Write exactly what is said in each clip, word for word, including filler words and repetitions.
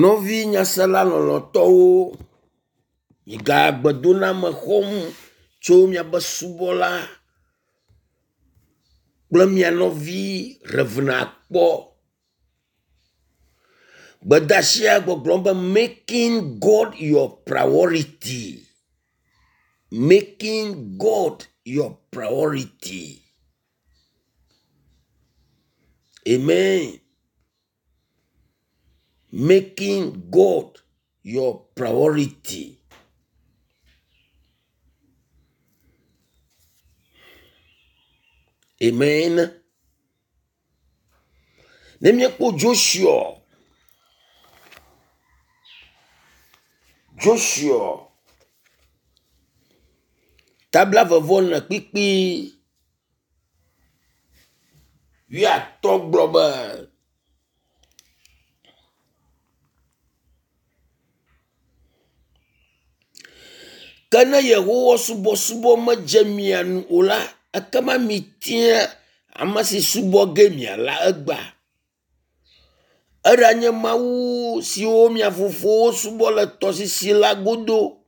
Nɔvi nyasela lɔlɔ̃tɔwo, migagbedoname xɔm tso miaƒe subɔla kple mia nɔvi Rev. Akpɔ. Gbedeasia gbɔgblɔm be making God your priority. Making God your priority. Amen. Making God your priority. Amen. Ne míekpɔ Joshua, Joshua tabla vɔvɔ ne kpikpi wuiatɔ̃ gblɔ be ke ne Yehowa subɔsubɔ medze mia nu o la, ekema mitia ame si subɔ ge miala egbea. Eɖanye mawu siwo mia fofowo subɔ le tɔsisi la godo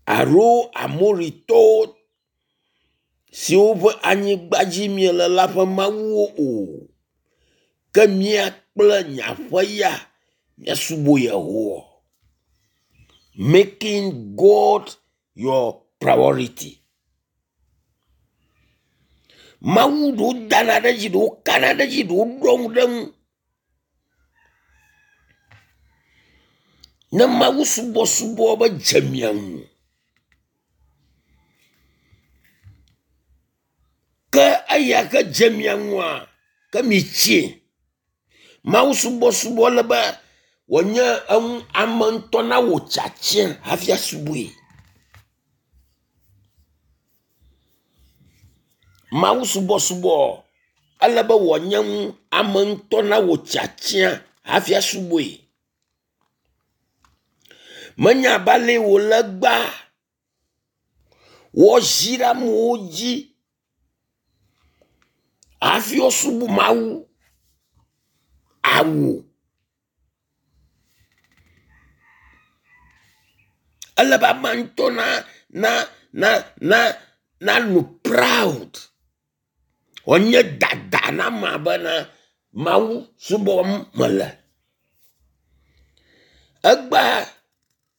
alo Amoritɔwo siwo ƒe anyigba dzi miele la ƒe mawuwo o. Ke mía kple nye aƒe ya míasubɔ Yehowa. Making God your priority. Mawu ɖewo dana ɖe edzi, ɖewo kana ɖe edzi, ɖewo ɖɔ ŋu ɖe eŋu. Ne Mawu subɔsubɔ be dze mia ŋu ke eya ke dze mia ŋua ke mitsie. Mawu subɔsubɔ le be wònye eŋu ame ŋutɔ nawɔ tiatia hafi asubɔe. Mawu subɔsubɔ ele be wòanye ŋu ame ŋutɔ nawɔ tiatia hafi asubɔe. Menye abe ale wòle egbea woazi ɖe amewo dzi hafi woasubɔ Mawu awu. Ele be amea ŋutɔ na na na na nanɔ proud. Wòanye dada na amea bena Mawu subɔm mele. Egbea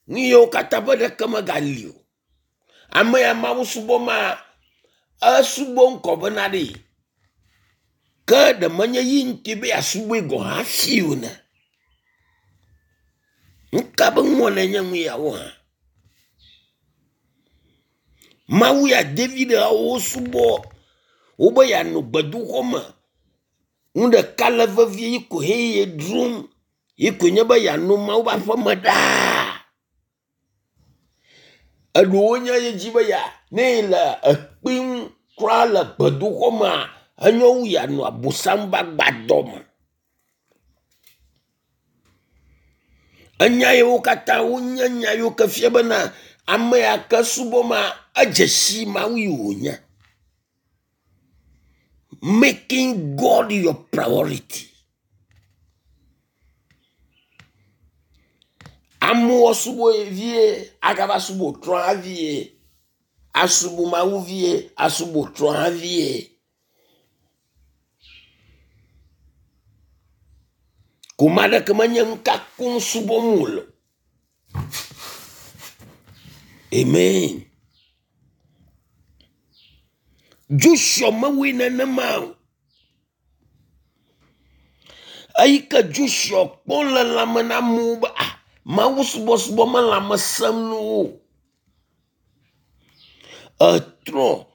nu yiwo katã ƒe ɖeke megali o. Ame ya Mawu subɔma, esubɔ ŋkɔ bena ɖe ke ɖe menye yi ŋuti be yeasubɔe gɔ̃ hafi o ne. Nu ka be nuwɔnae nye nu yawo hã? Mawu ya David wosubɔ wobe yeanɔ gbedoxɔ me. Nu ɖeka le vevie yi ko ye dzrom yi koe nye be yeanɔ Mawu ƒe aƒeme ɖaa. Eɖewo nye ye dzi be ya ne yele ekpe ŋu kura le gbedoxɔ mea, enyo wu yeanɔ abosam ƒe agbadɔ me. Enya yiwo katã wonye nya yiwo ke fia bena ame ya ke subɔma edze si Mawu yi wònye. Making God your priority. Amewo subɔe vie agava subɔ trɔ hã vie. Asubɔ Mawu vie, asubɔ trɔ hã vie. Koma aɖeke menye nu ka koŋ subɔm wòle o. Amen. Joshua mewɔe nenema o. Eyi ke Joshua kpɔ le lãme na amewo be ah Mawu subɔsubɔ me lãme sẽm na wo o. Etrɔ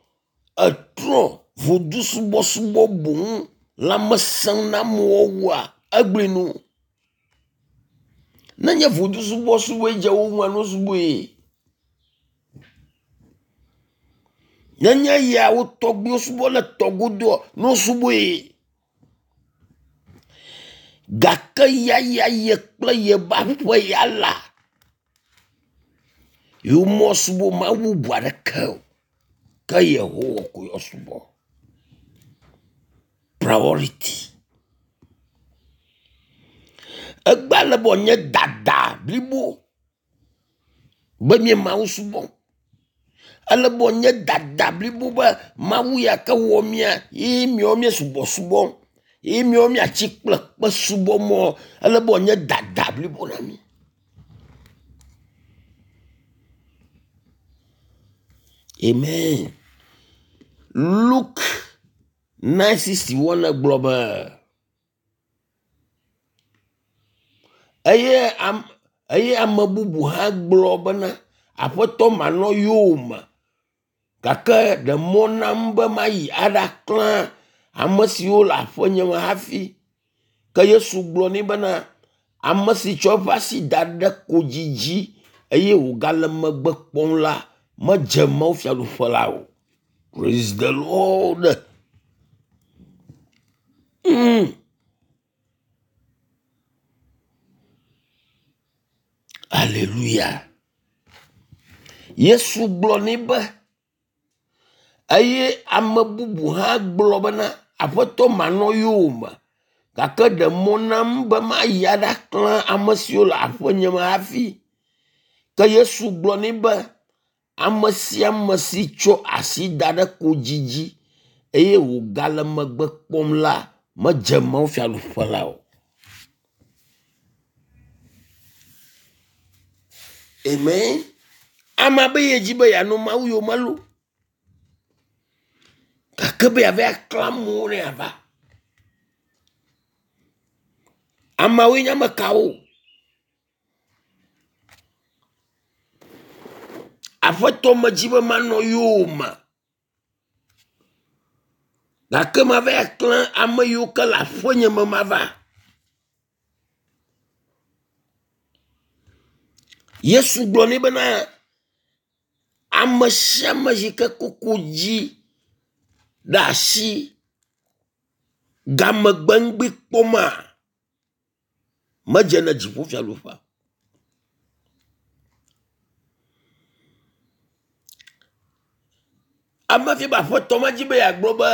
etrɔ vodu subɔsubɔ boŋ lãme sẽm na amewo wua egblɔe no. Nenye vodu subɔsubɔe dze wo ŋua ne wosubɔe. Nenye ya wo tɔgbuiwo subɔ le tɔ godoa ne wosubɔe. Gake ya ya ye kple yeƒe aƒe ya la, yewomesubɔ Mawu bubu aɖeke o ke Yehowa ko yewoasubɔ. Priority. Egbea le be wòanye dada blibo be mí Mawu subɔm. Ele be wòanye dada blibo be Mawu ya ke wɔ mía ye míawo mía subɔsubɔm ye míawo míatsi kple kpe subɔmɔ. Ele be wòanye dada blibo na mí. Amen. Luke nine sixty one gblɔ be eye am eye ame bubu hã gblɔ bena aƒetɔ manɔ yowòme gake ɖe mɔ nam be mayi aɖaklã ame siwo le aƒenye me hafi. Ke Yesu gblɔ nɛ bena ame si tsɔ eƒe asi da ɖe kodzi dzi eye wògale megbe kpɔm la medze Mawu fiaɖuƒe la o. Praise the Lord. Mm. Alléluia. Yesu gblɔ nɛ be eye ame bubu hã gblɔ bena aƒetɔ manɔ yowòme gake ɖe mɔ nam be mayi aɖaklã ame siwo le aƒenye me hafi. Ke Yesu gblɔ nɛ be ame sia ame si tsɔ asi da ɖe kodzi dzi eye wògale megbe kpɔm la medze Mawu fiaɖuƒe la o. Amen. Ame be yedzi be yeanɔ Mawu yome lo. Gake be yeava aklã amewo ne yeava. Ameawoe nye ame kawo? Aƒetɔ medzi be manɔ yowòme. Gake mava aklã ame yiwo ke le aƒenye me mava. Yesu gblɔ nɛ bena ame sia ame yi ke koko dzi ɖe asi gamegbe ŋgbi kpɔma medze na dziƒofiaɖuƒea. Ame fi be aƒetɔ medzi be yeagblɔ be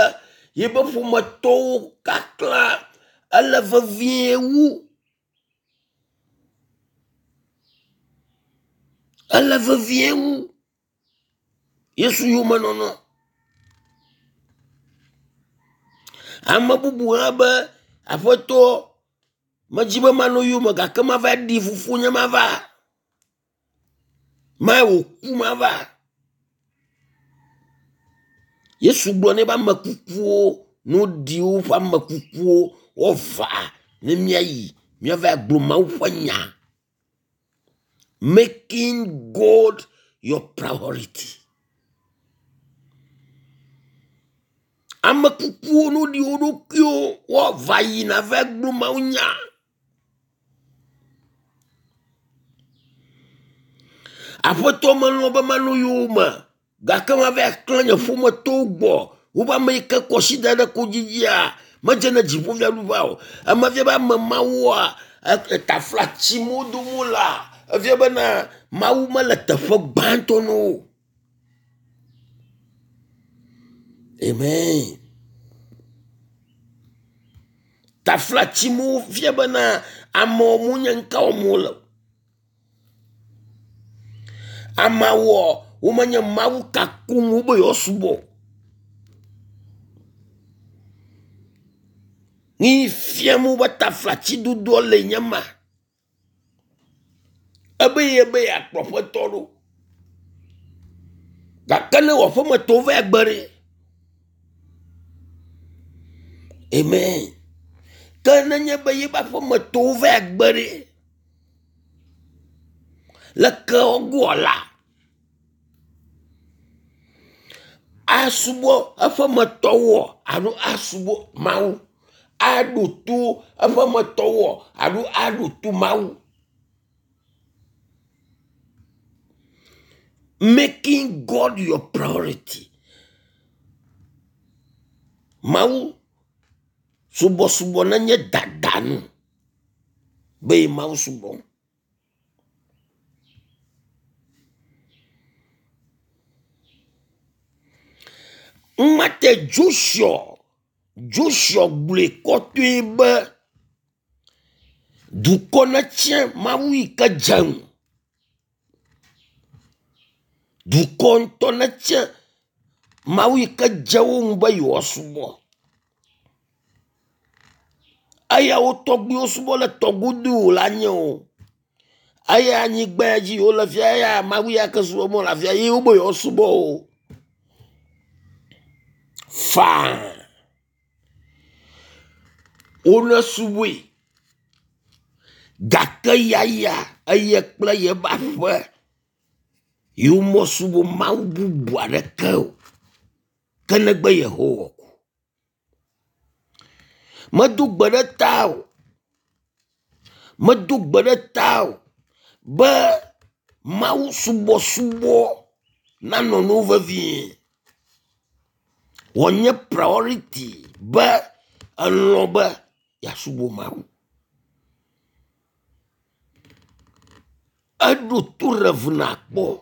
yebe ƒometɔwo kaklã ele vevie wu. Ele vevie wu Yesu yomenɔnɔ. Ame bubu hã be aƒetɔ medzi be manɔ yowòme gake mava ɖi fofonye mava. Ma wòku mava. Yesu gblɔ nɛ be ame kukuwo no ɖi woƒe ame kukuwo woava ne míayi míava gblɔ Mawu ƒe nya. Making God your priority. Ame kukuwo no ɖi wo ɖokuiwo woava yina va gblɔ Mawu nya. Aƒetɔ melɔ̃ be manɔ yowòme gake mava aklã nye ƒometɔwo gbɔ. Wobe ame yi ke kɔ asi da ɖe kodzi dzia medze na dziƒofiaɖuƒea o. Eme fia be ame mawoa etafla tsim wo dom wolea efia bena Mawu mele teƒe gbãtɔ na wo. Amen. Tafla tsim wo fia bena amewo menye nu ka wɔm wole o. Ameawoa womenye Mawu ka koŋ wobe yewoasubɔ o. Ni fiam wobe taflatsidodoa le nye ma. Ebe ye be yeakplɔ ƒetɔ ɖo. Gake ne wò aƒemetɔwo va gbe ɖe. Amen. Ke nenye be yebe aƒemetɔwo va gbe ɖe. Leke wogoa la. Asubɔ eƒemetɔwoa alo asubɔ Mawu. Aɖo to eƒemetɔwoa alo aɖo to Mawu. Making God your priority. Mawu subɔsubɔ nenye dadanu be Mawu subɔ. Ŋmate Joshua Joshua gblɔe kɔtɔe be Dukɔ netsia Mawu yi ke dze ŋu. Dukɔ ŋutɔ netsia Mawu yi ke dze wo ŋu be yewoasubɔ. Eya wo tɔgbuiwo subɔ le tɔgodo la nye o. Eya anyigba ya dzi wole fia eya Mawu ya ke subɔm wole afia ye wobe yewoasubɔ o. Faa. Wole subɔe gake yaya eye kple yebe aƒe yewo mesubɔ Mawu bubu aɖeke o ke negbe Yehowa ko. Medo gbe ɖe ta o. Medo gbe ɖe ta o be Mawu subɔsubɔ nanɔ nu vevie. Wònye priority be elɔ̃ be yeasubɔ Mawu. Eɖo to Rev nakpɔ.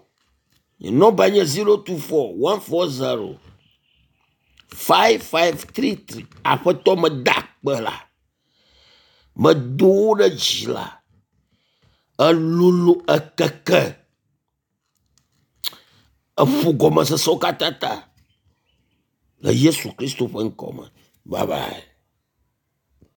Nye nɔmba nye zero two four one four zero five five three three. Aƒetɔ meda akpe la, medo wo ɖe dzi la, elolo ekeke eƒo gɔmesesewo katã ta le Yesu Kristo ƒe ŋkɔ me. Bye bye.